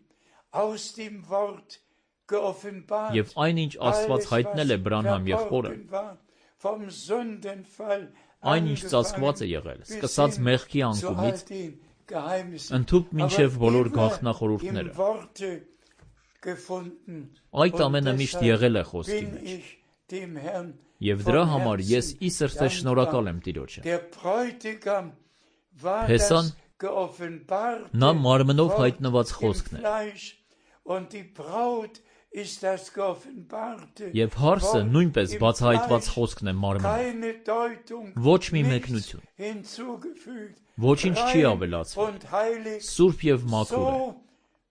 aus dem Wort geoffenbart, Եվ այնինչ Աստված հայտնել է Բրանհամ եղբորը, verborgen war, vom Sündenfall այն ինչ ծածկված է եղել, bis սկսած hin մեղքի zu անկումից, all den Geheimnissen, ընդհուպ մինչև aber բոլոր immer գաղտնախորհուրդները։ im Worte gefunden. Այդ Und ամենը միշտ deshalb եղել է խոսքի bin մեջ։ ich dem Herrn Եվ von դրա համար ես Herzen ի սրտե շնորհակալ եմ dankbar. Տիրոջը։ Der Bräutigam war Փեսան das geoffenbarte նա մարմնով Wort հայտնված im խոսքն է, Fleisch und die Braut ist das geoffenbarte եւ հարսը Wort նույնպես im բացահայտված Fleisch. խոսքն է մարմնով։ Keine Deutung, Ոչ մի nichts մեկնություն, hinzugefügt, ոչինչ չի rein ավելացվել, und heilig, սուրբ եւ մաքուր է, so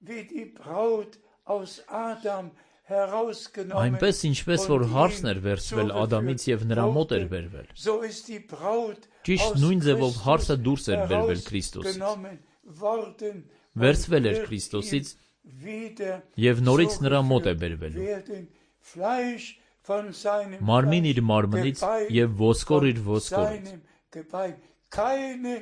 wie die Braut aus Adam herausgenommen այնպես ինչպես որ und հարսն ihm էր վերցվել Ադամից եւ zugeführt նրա մոտ էր wurde, բերվել։ so ist die Braut Ճիշտ aus նույն ձևով Christus հարսը դուրս էր բերվել Քրիստոսից, herausgenommen worden վերցվել էր und wird Քրիստոսից ihm wieder եւ նորից նրա մոտ է zugeführt բերվելու։ werden. Fleisch von seinem Մարմին իր Fleisch, մարմնից Gebein եւ ոսկոր իր von ոսկորից, seinem Gebein. Keine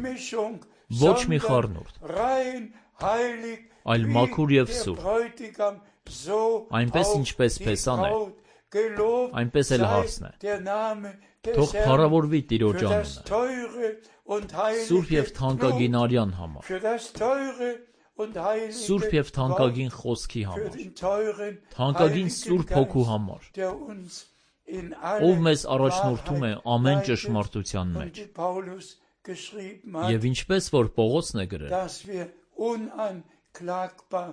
Mischung, ոչ մի sondern խառնուրդ, rein heilig, այլ wie մաքուր եւ der սուրբ, Bräutigam, so այնպես auch ինչպես die Փեսան է, Braut. Gelobt այնպես էլ sei հարսն է։ der Name des Թող Herrn փառավորվի Տիրոջ für das անունը, teure und սուրբ heilige եւ թանկագին Blut, արյան համար, für das teure und heilige սուրբ եւ Wort, թանկագին խոսքի für համար, den teuren թանկագին heiligen Սուրբ Հոգու Geist, համար, der uns in ով alle մեզ առաջնորդում է Wahrheit ամեն leitet. ճշմարտության Und մեջ։ wie Paulus geschrieben hat, Եվ ինչպես որ Պողոսն է գրել, dass wir unanklagbar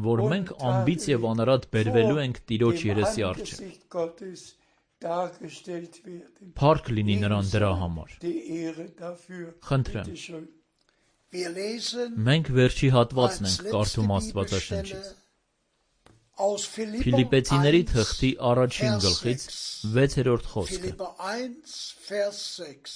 որ մենք անբիծ եւ անարատ բերվելու ենք Տիրոջ dem երեսի առջև, Angesicht Gottes dargestellt werden. փառք լինի նրան Ihm դրա sei համար։ die Ehre dafür. Խնդրեմ, Bitte schön. Wir lesen մենք վերջի հատվածն als ենք letzte կարդում Bibelstelle Աստվածաշնչից։ aus Philipper Փիլիպեցիների eins, թղթի առաջին Vers գլխից sechs. վեցերորդ խոսքը։ Philipper eins, Vers sechs.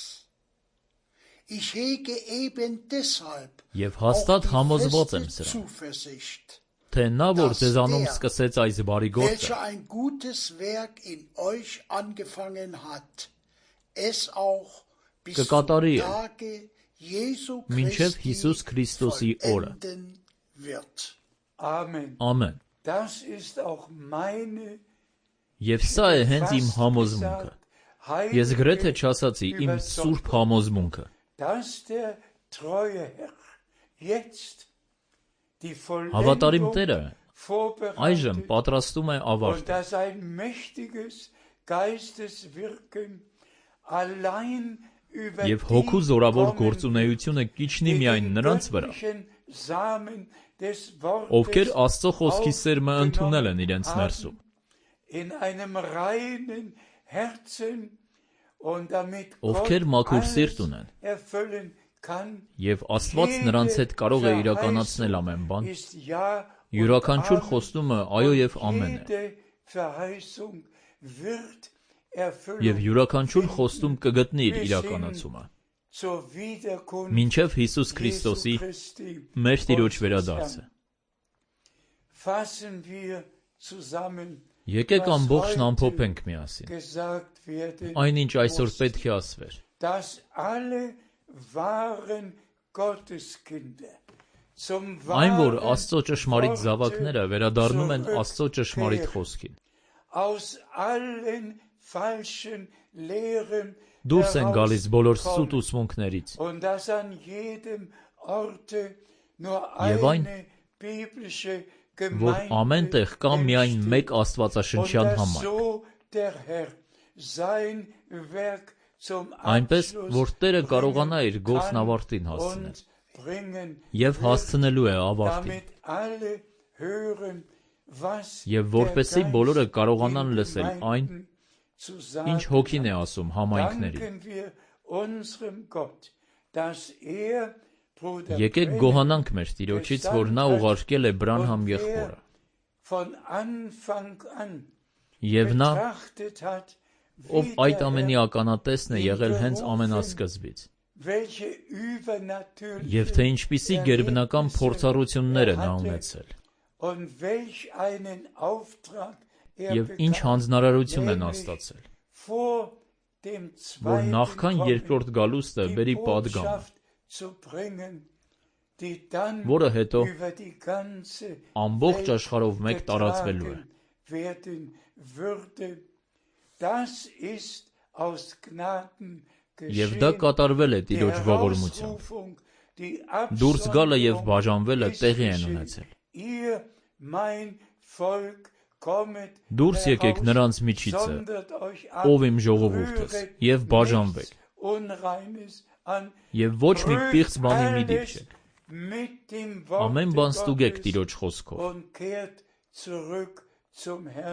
Ich hege eben deshalb Եվ auch հաստատ die համոզված եմ feste սրան, Zuversicht, թե նա որ dass ձեզանում der, սկսեց այս բարի գործը, welcher ein gutes Werk in euch angefangen hat, es auch bis zum կկատարի է Tage Jesu մինչև Հիսուս Christi Քրիստոսի օրը։ vollenden wird. Amen. Ամեն։ Das ist auch meine Եվ սա է հենց իմ համոզմունքը։ Ես գրեթե չասացի իմ սուրբ համոզմունքը, dass der treue Herr jetzt die Հավատարիմ Vollendung Տերը այժմ vorbereitet պատրաստում է und ավարտը, dass ein mächtiges Geisteswirken allein über եւ հոգու die զորավոր kommen գործունեությունը կիջնի die միայն den նրանց վրա, göttlichen Samen des Wortes ովքեր Աստծո խոսքի սերմը ընդունել են իրենց aufgenommen ներսում, haben, in einem reinen Herzen und damit ովքեր Gott մաքուր alles սիրտ ունեն, erfüllen kann. եւ Աստված նրանց հետ կարող է իրականացնել ամեն բան, Ist ja und յուրաքանչյուր Amen. խոստումը այո եւ ամեն է, Jede Verheißung wird erfüllt եւ յուրաքանչյուր խոստում կգտնի իր իրականացումը, zur Wiederkunft մինչև Հիսուս Jesu Քրիստոսի Christi մեր Տիրոջ unseres վերադարձը։ Herrn. Fassen wir zusammen, Եկեք was ամբողջն heute ամփոփենք միասին, gesagt werden այնինչ այսօր muss, պետք է ասվեր, dass alle wahren Այն, որ Աստծո ճշմարիտ զավակները վերադառնում են Աստծո ճշմարիտ խոսքին, դուրս են գալիս բոլոր սուտ ուսմունքներից, եւ այն, որ ամեն տեղ կա միայն մեկ աստվածաշնչյան համարք, այնպես, որ Տերը կարողանա իր գործն ավարտին հասցնել եւ հասցնելու է ավարտին, եւ որպեսզի բոլորը կարողանան լսել այն, ինչ Հոգին է ասում համայնքներին։ Եկեք գոհանանք մեր Տիրոջից, որ նա ուղարկել է Բրանհամ եղբորը, եւ նա, ով այդ ամենի ականատեսն է եղել հենց ամենասկզբից, եւ թե ինչպիսի գերբնական փորձառություններ է նա ունեցել, եւ ինչ հանձնարարություն է նա ստացել, որ նախքան երկրորդ գալուստը բերի պատգամը, որը հետո ամբողջ աշխարհով մեկ տարածվելու է։ Եվ դա կատարվել է Տիրոջ ողորմությամբ։ Դուրս գալը եւ բաժանվելը տեղի են ունեցել։ Դուրս եկեք նրանց միջիցը, ով իմ ժողովուրդս, եւ բաժանվեք, եւ ոչ մի պիղծ բանի մի դիպչեք, ամեն բան ստուգեք Տիրոջ խոսքով,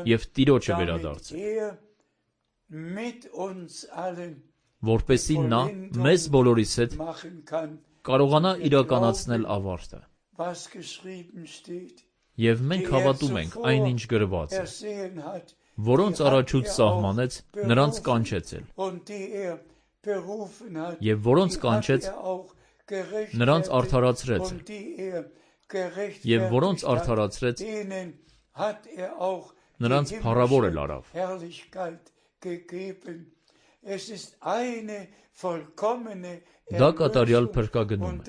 եւ Տիրոջը վերադարձեք, որպեսզի նա մեզ բոլորիս հետ կարողանա իրականացնել ավարտը։ Եվ մենք հավատում ենք այն, ինչ գրված է, որոնց առաջուց սահմանեց, նրանց կանչեցել, եւ որոնց կանչեց, նրանց արդարացրեց, եւ որոնց արդարացրեց, նրանց փառավոր էլ արավ։ Դա կատարյալ փրկագնում է։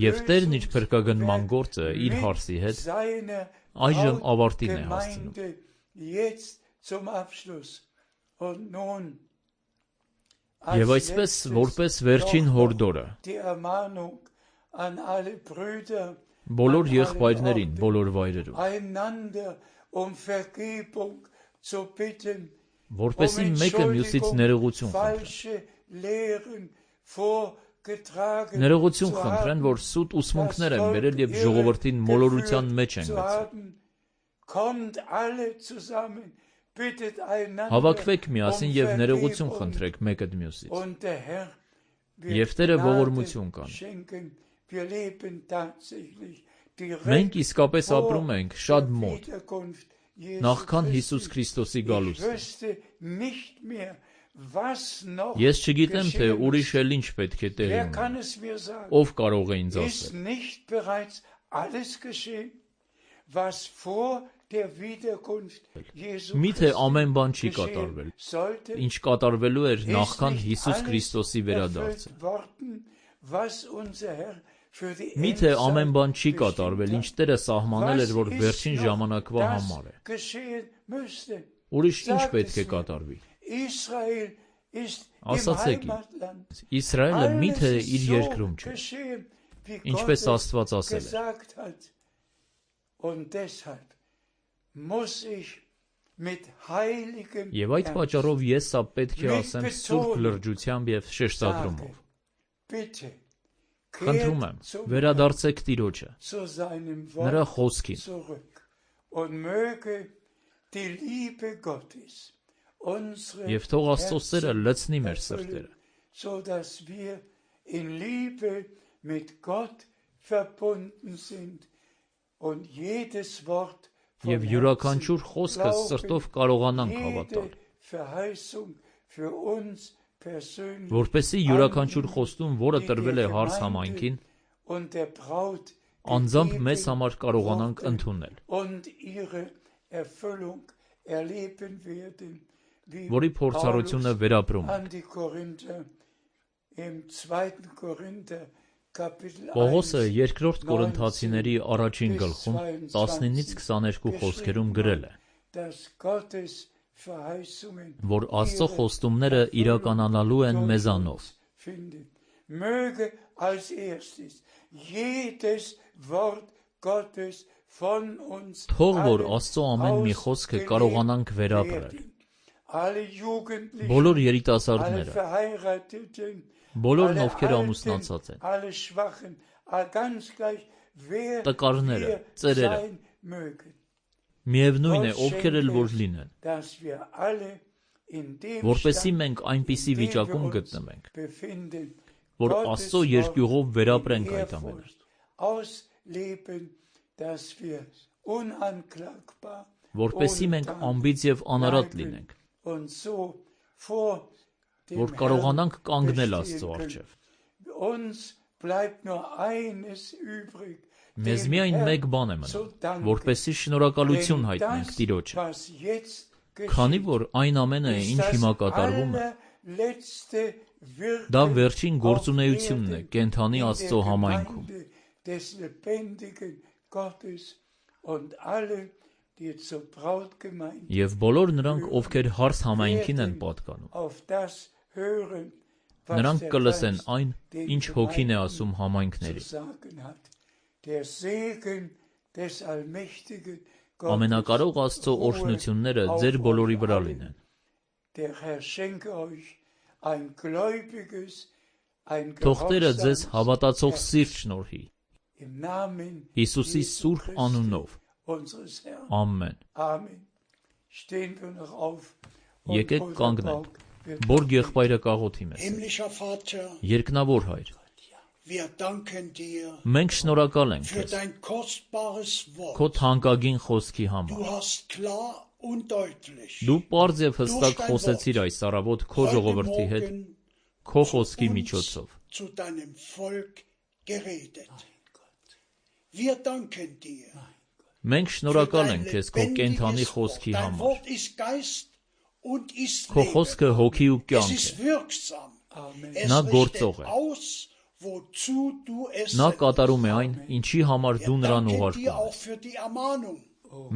Եվ Տերն իր փրկագնման գործը իր հարցի հետ այժմ ավարտին է հասցնում։ Եվ այսպես, որպես վերջին հորդորը, բոլոր եղբայրներին, բոլոր վայրերում, որպեսզի մեկը մյուսից ներողություն խնդրեն, ներողություն խնդրեն, որ սուտ ուսմունքներ են բերել եւ ժողովրդին մոլորության մեջ են գցել։ Հավաքվեք միասին եւ ներողություն խնդրեք մեկը մյուսից։ Եվ Տերը ողորմություն կանի։ Մենք իսկապես ապրում ենք շատ մոտ, նախքան Հիսուս Քրիստոսի գալուստը։ Ես չգիտեմ, թե ուրիշ էլ ինչ պետք է տեղի ունենա, ով կարող է ինձ ասել։ Միթե ամեն բան չի կատարվել, ինչ կատարվելու էր նախքան Հիսուս Քրիստոսի վերադարձը։ Միթե ամեն բան չի կատարվել, ինչ Տերը սահմանել էր, որ վերջին ժամանակվա համար է։ Ուրիշ ինչ պետք է կատարվի։ Ասացեք ինձ, Իսրայելը միթե իր երկրում չէ, ինչպես Աստված ասել է։ Եվ այդ պատճառով ես սա պետք է ասեմ սուրբ լրջությամբ եւ շեշտադրումով։ Խնդրում եմ, վերադարձեք Տիրոջը, նրա խոսքին, եւ թող Աստծո սերը լցնի մեր սրտերը, եւ յուրաքանչյուր խոսքը սրտով կարողանանք հավատալ, որպեսզի յուրաքանչյուր խոստում, որը տրվել է հարս համայնքին, անձամբ մեզ համար կարողանանք ընդունել, որի փորձառությունը վերապրում ենք։ Պողոսը երկրորդ Կորինթացիների առաջին գլխում տասնինից քսաներկու խոսքերում գրել է, որ Աստծո խոստումները իրականանալու են մեզանով։ Թող որ Աստծո ամեն մի խոսքը կարողանանք վերապրել։ Բոլոր երիտասարդները, բոլորն ովքեր ամուսնացած են, տկարները, ծերերը, միևնույն է ովքեր էլ որ լինեն, որպեսզի մենք այնպիսի վիճակում գտնվենք, որ Աստծո երկյուղով վերապրենք այդ ամենը, որպեսզի մենք անբիծ և անարատ լինենք, որ կարողանանք կանգնել Աստծո առջև։ Մեզ միայն մեկ բան է մնում, որպեսզի շնորհակալություն հայտնենք Տիրոջը, քանի որ այն ամենը, ինչ հիմա կատարվում է, դա վերջին գործունեությունն է կենդանի Աստծո համայնքում։ Եվ բոլոր նրանք, ովքեր հարս համայնքին են պատկանում, նրանք կլսեն այն, ինչ Հոգին է ասում համայնքներին։ Ամենակարող Աստծո օրհնությունները ձեր բոլորի վրա լինեն։ Թող Տերը ձեզ հավատացող սիրտ շնորհի, Հիսուսի սուրբ անունով։ Ամեն։ Եկեք կանգնենք, Բորգ եղբայրը կաղոթի մեզ։ Երկնավոր Հայր, մենք շնորհակալ ենք Քեզ Քո թանկագին խոսքի համար։ Դու պարզ և հստակ խոսեցիր այս առավոտ Քո ժողովրդի հետ Քո խոսքի միջոցով։ Մենք շնորհակալ ենք Քեզ Քո կենդանի խոսքի համար։ Քո խոսքը հոգի ու կյանք է։ Նա գործող է։ Նա կատարում է այն, ինչի համար դու նրան ուղարկում ես։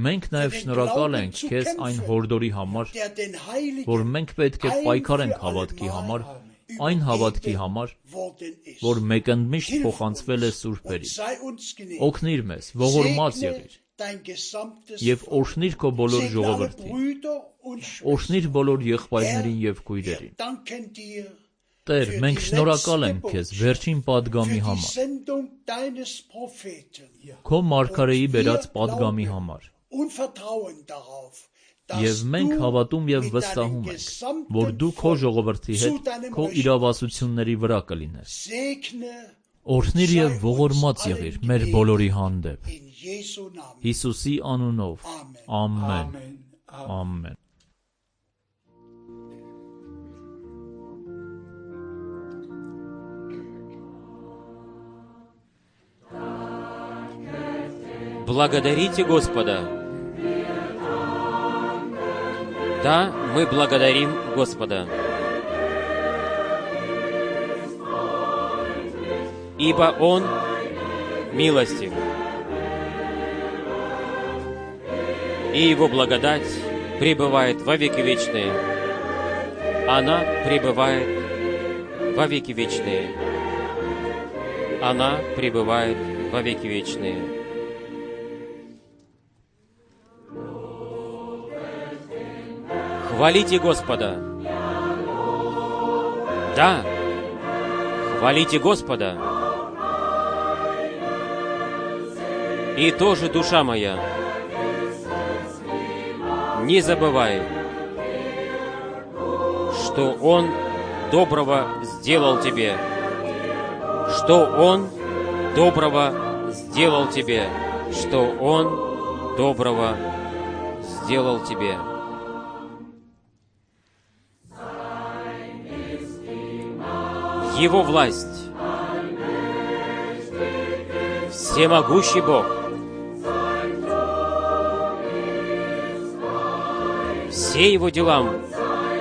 Մենք նաև շնորհակալ ենք Քեզ այն հորդորի համար, որ մենք պետք է պայքարենք հավատքի համար, այն հավատքի համար, որ մեկընդմիշտ փոխանցվել է սուրբերին։ Օգնիր մեզ, ողորմած եղիր և օրհնիր Քո բոլոր ժողովրդին, օրհնիր բոլոր եղբայրներին և քույրերին։ Տեր, մենք շնորհակալ ենք Քեզ վերջին պատգամի համար, Քո մարգարեի բերած պատգամի համար, և մենք հավատում և վստահում ենք, որ Դու Քո ժողովրդի հետ Քո իրավասությունների վրա կլինես։ Օրհնիր և ողորմած եղիր մեր բոլորի հանդեպ։ Հիսուսի անունով, ամեն, ամեն։ Благодарите Господа. Да, мы благодарим Господа. Ибо Он милостив, и Его благодать пребывает во веки вечные. Она пребывает во веки вечные. Она пребывает во веки вечные. Хвалите Господа. Да, хвалите Господа. И тоже, душа моя, не забывай, что Он доброго сделал тебе, что Он доброго сделал тебе, что Он доброго сделал тебе. Его власть, всемогущий Бог, все Его дела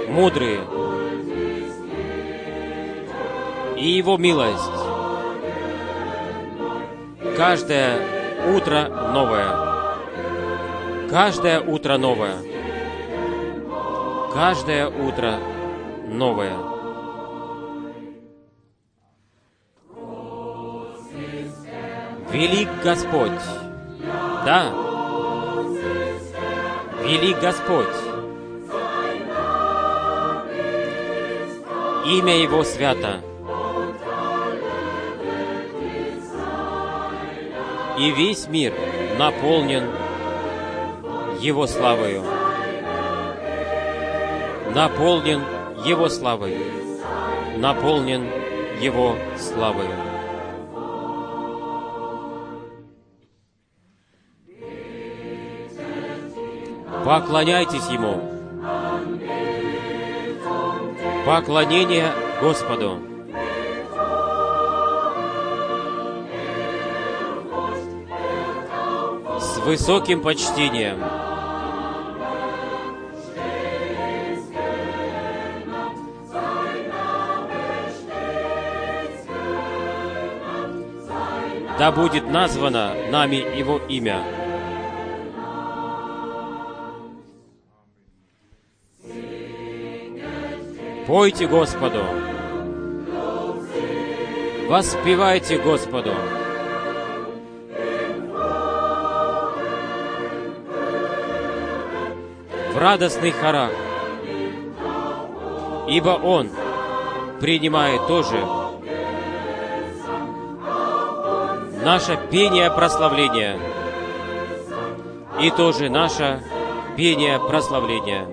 мудрые, и Его милость каждое утро новое. Каждое утро новое. Каждое утро новое. Велик Господь. Да. Велик Господь. Имя Его свято. И весь мир наполнен Его славою. Наполнен Его славой. Наполнен Его славою. Поклоняйтесь Ему. Поклонение Господу. С высоким почтением. Да будет названо нами Его имя. Пойте Господу, воспевайте Господу. В радостных хорах, ибо Он принимает тоже наше пение прославления и тоже наше пение прославления.